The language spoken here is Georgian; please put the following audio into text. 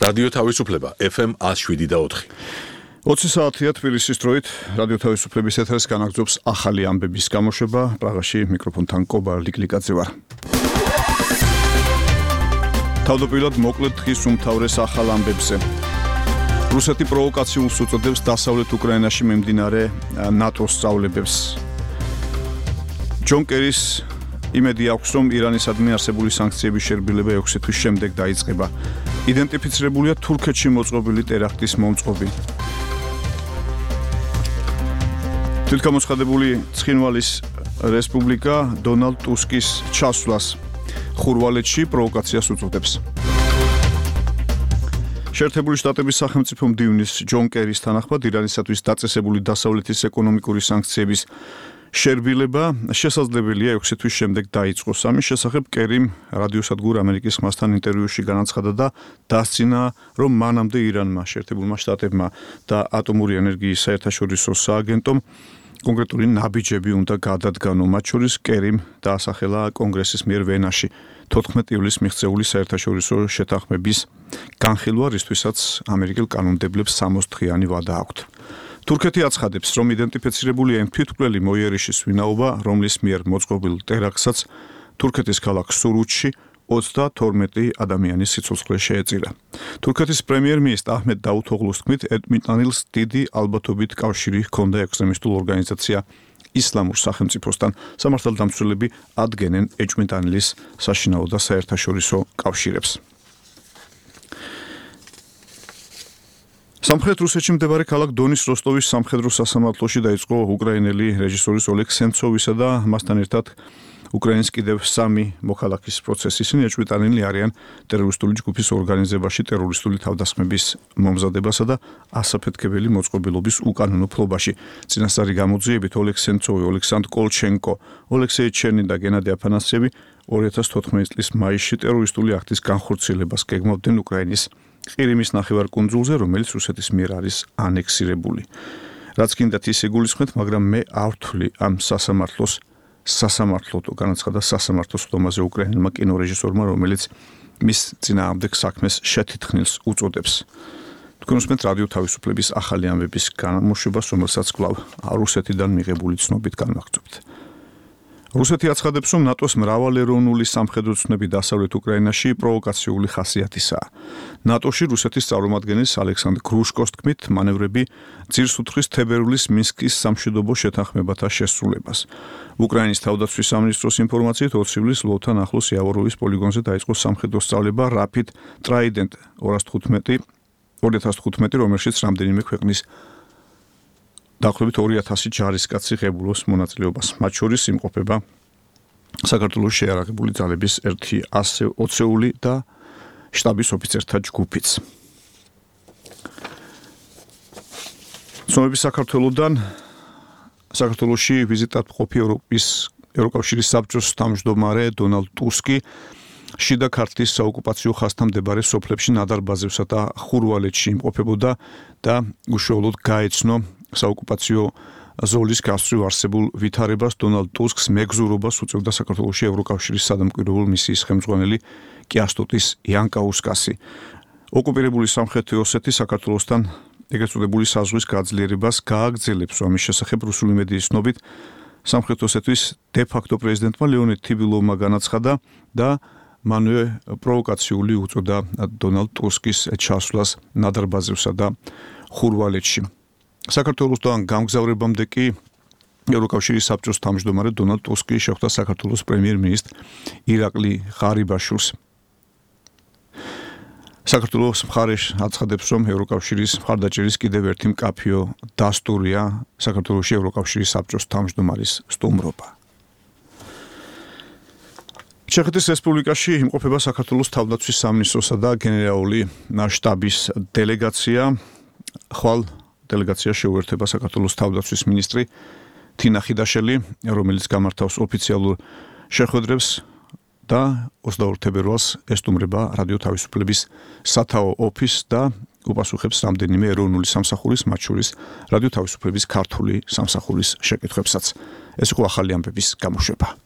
რადიო თავისუფლება FM 107.4. 20 საათია თბილისის დროით რადიო თავისუფლების ეთერს განაგრძობს ახალი ამბების გამოშვება. პრაღაში მიკროფონთან კობა ლიკლიკაძე ვარ. თავდაპირველად მოკლედ დღის უმთავრეს ახალ ამბებზე. რუსეთი პროვოკაციულს უწოდებს დასავლეთ უკრაინაში მიმდინარე ნატოს სწავლებებს. ჯონ კერის იმედი აქვს, რომ ირანისადმი არსებული სანქციების შერბილება 6 თვის შემდეგ დაიწყება. იდენტიფიცირებულია თურქეთში მოწყობილი ტერაქტის მომწყობი. თვითგამოცხადებული ცხინვალის რესპუბლიკა დონალდ ტუსკის ჩასვლას ხურვალეთში პროვოკაციას უწოდებს. შეერთებული შტატების სახელმწიფო მდივნის ჯონ კერის თანახმად ირანისათვის დაწესებული დასავლეთის ეკონომიკური სანქციების შერბილება შესაძლებელია 6 თვის შემდეგ დაიწყოს. ამის შესახებ კერიმ რადიოსადგურ ამერიკის ხმასთან ინტერვიუში განაცხადა და დასცინა, რომ მანამდე ირანმა, შეერთებულმა შტატებმა და ატომური ენერგიის საერთაშორისო სააგენტომ კონკრეტული ნაბიჯები უნდა გადადგანო. მათ შორის კერიმ დაასახელა კონგრესის მიერ ვენაში 14 ივლისს მიღწეული საერთაშორისო შეთანხმების განხილვა, რისთვისაც ამერიკელ კანონმდებლებს 60 დღიანი ვადა აქვთ. თურქეთი აცხადებს, რომ იდენტიფიცირებულია იმ თვითმკვლელი მოიერიშის ვინაობა, რომლის მიერ მოწყობილ ტერაქტსაც თურქეთის ქალაქ სურუთში 32 ადამიანის სიცოცხლე შეეწირა. თურქეთის პრემიერ-მინისტრ აჰმედ დაუთოღლუს თქმით, ეტმიტანილს დიდი ალბათობით კავშირი ჰქონდა ექსტრემისტულ ორგანიზაცია ისლამურ სახელმწიფოსთან. სამართალდამცველები ადგენენ ეჭვმიტანილის საშინაო და საერთაშორისო კავშირებს. სამხრეთ რუსეთში მდებარე ქალაქ დონის როსტოვის სამხედრო სასამართლოში დაიწყო უკრაინელი რეჟისორის ოლეგ სენცოვისა და მასთან ერთად უკრაინის კიდევ 3 მოქალაქის პროცესი. ისინი ეჭვმიტანილი არიან ტერორისტული ჯგუფის ორგანიზებაში ტერორისტული თავდასხმების მომზადებასა და ასაფეთქებელი მოწყობილობის უკანონო ფლობაში. წინასწარი გამოძიებით ოლეგ სენცოვი, ოლექსანდრ კოლჩენკო, ოლექსეი ჩერნი და გენადი აფანასიევი 2014 წლის მაისში ტერორისტული აქტის განხორციელებას გეგმავდნენ უკრაინის ყირიმის ნახევარკუნძულზე, რომელიც რუსეთის მიერ არის ანექსირებული. რაც კიდათ ის იგულისხმეთ, მაგრამ მე არ ვთვლი ამ სასამართლოდ განაცხადა სასამართლოს ხდომაზე უკრაინელმა კინორეჟისორმა, რომელიც მის წინააღმდეგ საქმეს შეთითხნილს უწოდებს. თქვენ უსმენთ რადიო თავისუფლების ახალი ამბების გამოშვებას, რომელსაც კვლავ რუსეთიდან მიღებული ცნობით განვაგრძობთ. რუსეთი აცხადებს, რომ ნატოს მრავალეროვნული სამხედრო ცნები დასავლეთ უკრაინაში პროვოკაციული ხასიათისაა. ნატოში რუსეთის წარმომადგენლის ალექსანდრ გრუშკოს თქმით, მანევრები ძირს უთხრის თებერვლის მინსკის სამშვიდობო შეთანხმებათა შესრულებას. უკრაინის თავდაცვის სამინისტროს ინფორმაციით 20 ივლისს ლვოვთან ახლოს იავოროვის პოლიგონზე დაიწყო სამხედრო სწავლება Rapid Trident 2015, რომელშიც რამდენიმე ქვეყნის დაახლოებით 2000 ჯარისკაცი ღებულობს მონაწილეობას. მათ შორის იმყოფება საქართველოს შეიარაღებული ძალების 120-ული და შტაბის ოფიცერთა ჯგუფიც. ცნობები საქართველოსთან საქართველოში ვიზიტად მყოფი ევროკავშირის საბჭოს თავმჯდომარე დონალდ ტუსკი შიდა ქართლის საოკუპაციო ხაზთან მდებარე სოფლებში ნადარბაზებსა და ხურვალეთში იმყოფებოდა და უშუალოდ გაეცნო საოკუპაციო ზოლის გასწვრივ არსებულ ვითარებას. დონალდ ტუსკს მეგზურობას უწევდა საქართველოში ევროკავშირის სადამკვირვებლო მისიის ხელმძღვანელი კიასტუტის იანკაუსკასი. ოკუპირებული სამხრეთი ოსეთი საქართველოსთან ეგრეთ წოდებული საზღვის გაძლიერებას გააგრძელებს. ამის შესახებ რუსული მედიის ცნობით სამხრეთ ოსეთის დე-ფაქტო პრეზიდენტმა ლეონიდ თიბილოვმა განაცხადა და მანვე პროვოკაციული უწოდა დონალდ ტუსკის ჩასვლას ნადარბაზევსა და ხურვალეთში. საქართველოსთან გამგზავრებამდე კი ევროკავშირის საბჭოს თავმჯდომარე დონალდ ტუსკი შეხვდა საქართველოს პრემიერ-მინისტრ ირაკლი ღარიბაშვილს. საქართველოს მხარე აცხადებს, რომ ევროკავშირის მხარდაჭერის კიდევ ერთი მკაფიო დასტურია საქართველოში ევროკავშირის საბჭოს თავმჯდომარის სტუმრობა. ჩეხეთის რესპუბლიკაში იმყოფება საქართველოს თავდაცვის სამინისტროსა და გენერალური შტაბის დელეგაცია. ხვალ დელეგაცია შეუერთება საქართველოს თავდაცვის მინისტრი თინა ხიდაშელი, რომელიც გამართავს ოფიციალურ შეხვედრებს და 22 თებერვალს ესტუმრება რადიო თავისუფლების სათაო ოფისს და უპასუხებს რამდენიმე ეროვნული სამსახურის, მათ შორის რადიო თავისუფლების ქართული სამსახურის შეკითხვებსაც. ეს იყო ახალი ამბების გამოშვება.